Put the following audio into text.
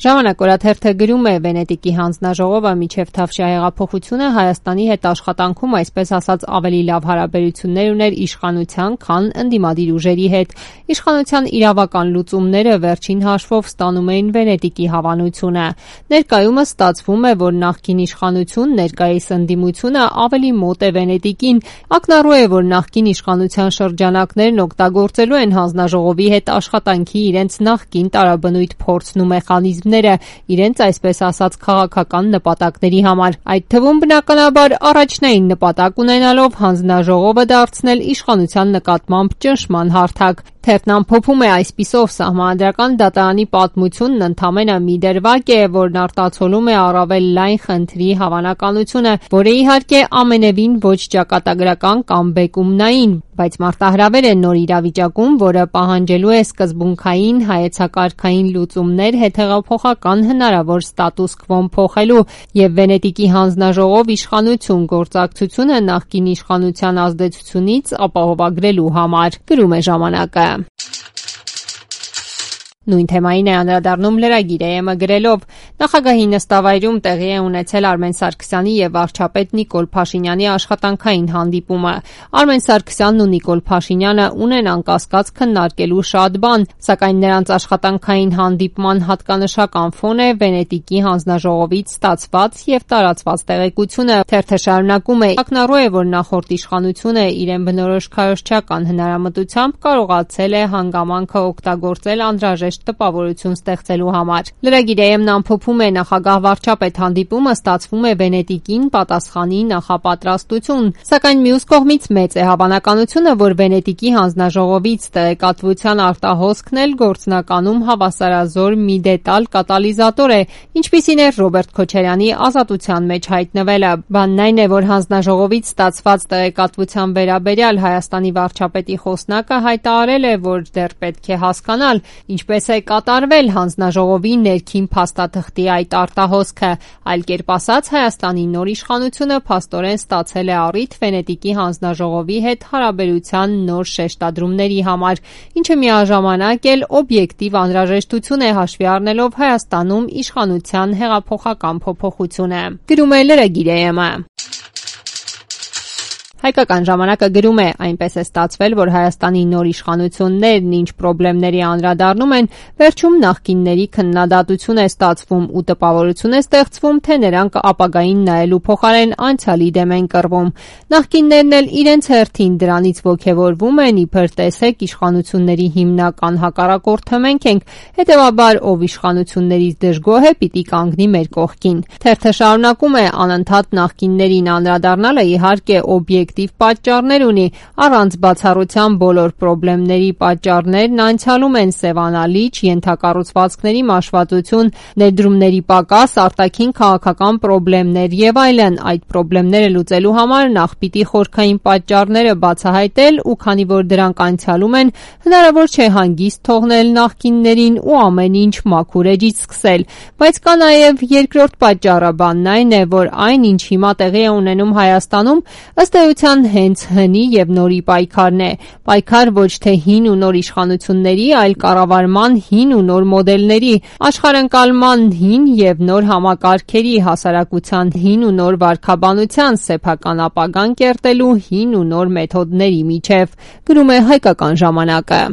Ժամանակ օրաթերթը գրում է Վենետիկի հանձնաժողովը մինչև Թավշյա հեղափոխությունը Հայաստանի հետ աշխատանքում այսպես ասած ավելի լավ հարաբերություններ ուներ իշխանության, քան ընդդիմադիր ուժերի հետ։ Իշխանության իրավական լուծումները վերջին հաշվով ստանում էին Վենետիկի հավանությունը։ Ներկայումս ստացվում է, որ նախկին իշխանություն, ներկայիս ընդդիմությունը ավելի մոտ է Վենետիկին։ Ակնառու է, որ նախկին իշխանության շրջանակներն օգտագործելու են հանձնաժողովի հետ աշխատանքի իրենց նախկին տարաբնույթ փորձն ու մեխանիզմները իրենց այսպես ասած քաղաքական նպատակների համար, այդ թվում բնականաբար առաջնային նպատակ ունենալով հանձնաժողովը դարձնել իշխանության նկատմամբ ճնշման հարթակ։ Թերթն ամփոփում է այսպիսով. Սահմանադրական դատարանի պատմությունն ընդամենը մի դրվագ է, որն արտացոլում է առավել լայն խնդրի հավանականությունը, որը իհարկե ամենևին ոչ ճակատագրական կամ բեկումնային, բայց մարտահրավեր է նոր իրավիճակում, որը պահանջելու է սկզբունքային հայեցակարգային լուծումներ հետհեղափոխական հնարավոր ստատուս քվոն փոխելու եւ Վենետիկի հանձնաժողով իշխանություն գործակցությունը նախկին իշխանության ազդեցությունից ապահովագրելու համար, գրում է ժամանակը։ Նույն թեմային է անդրադառնում լրագիրը ԵՄ գրելով. Նախագահի նստավայրում տեղի է ունեցել Արմեն Սարգսյանի եւ վարչապետ Նիկոլ Փաշինյանի աշխատանքային հանդիպումը։ Արմեն Սարգսյանն ու Նիկոլ Փաշինյանը ունեն անկասկած քննարկելու շատ բան, սակայն նրանց աշխատանքային հանդիպման հատկանշական ֆոն է Վենետիկի հանձնաժողովից ստացված եւ տարածված տեղեկությունը։ Թերթը շարունակում է. ակնառու է, որ նախորդ իշխանությունը իրեն բնորոշ քարոզչական հնարամտությամբ կարողացել է հանգամանքը օգտագործել անհրաժեշտ տպավորություն ստեղծելու համար։ Լրագիրը ամփոփում է նախագահ վարչապետ հանդիպումը ստացվում է Վենետիկին պատասխանի նախապատրաստություն, սակայն մյուս կողմից մեծ է հավանականությունը, որ Վենետիկի հանձնաժողովից տեղեկատվության արտահոսքն էլ գործնականում հավասարազոր մի դետալ կատալիզատոր է, ինչպիսին է Ռոբերտ Քոչարյանի ազատության մեջ հայտնվելը։ Բանն այն է, որ հանձնաժողովից ստացված տեղեկատվության վերաբերյալ Հայաստանի վարչապետի խոսնակը հայտարարել է, որ դեռ պետք է հասկանալ, ինչպես է կատարվել հանձնաժողովի ներքին փաստաթղթի այդ արտահոսքը, այլ կերպ ասած Հայաստանի նոր իշխանությունը փաստորեն ստացել է առիթ Վենետիկի հանձնաժողովի հետ հարաբերության նոր շեշտադրումների համար, ինչը միաժամանակ էլ օբյեկտիվ անհրաժեշտություն է հաշվի առնելով Հայաստանում իշխանության հեղափոխական փոփոխությունը, գրում է լրագիրը ԵՄ։ Հայկական ժամանակը գրում է. այնպես է ստացվել, որ Հայաստանի նոր իշխանություններն ինչ խնդիրների անդրադառնում են, վերջում նախկինների քննադատություն է ստացվում ու տպավորություն է ստեղծվում, թե նրանք ապագային նայելու փոխարեն անցյալի դեմ են կռվում։ Նախկիններն էլ իրենց հերթին դրանից ոգևորվում են, իբր տեսեք իշխանությունների հիմնական հակառակորդը մենք ենք, հետևաբար ով իշխանություններից դժգոհ է, պիտի կանգնի մեր կողքին։ Թերթը շարունակում է. անընդհատ նախկիններին անդրադառնալը իհարկե օբյեկտիվ պատճառներ ունի, առանց բացառության բոլոր խնդիրների պատճառներն անցյալում են սևանալիչ, ենթակառուցվածքների մաշվածություն, ներդրումների պակաս, արտաքին քաղաքական խնդիրներ եւ այլն։ Այդ խնդիրները լուծելու համար նախ պիտի խորքային պատճառները բացահայտել ու քանի որ դրանք անցյալում են, հնարավոր չէ հանգիստ թողնել նախկիններին ու ամեն ինչ մաքուր էջից սկսել։ Բայց կա նաեւ երկրորդ պատճառը, բանն այն է, որ այն, ինչ հիմա տեղի է ունենում Հայաստանում, ըստ էության հենց հնի եւ նորի պայքարն է։ Պայքար ոչ թե հին ու նոր իշխանությունների, այլ կառավարման հին ու նոր մոդելների, աշխարհընկալման հին եւ նոր համակարգերի, հասարակության հին ու նոր վարքաբանության, սեփական ապագան կերտելու հին ու նոր մեթոդների միջև, գրում է Հայկական ժամանակը։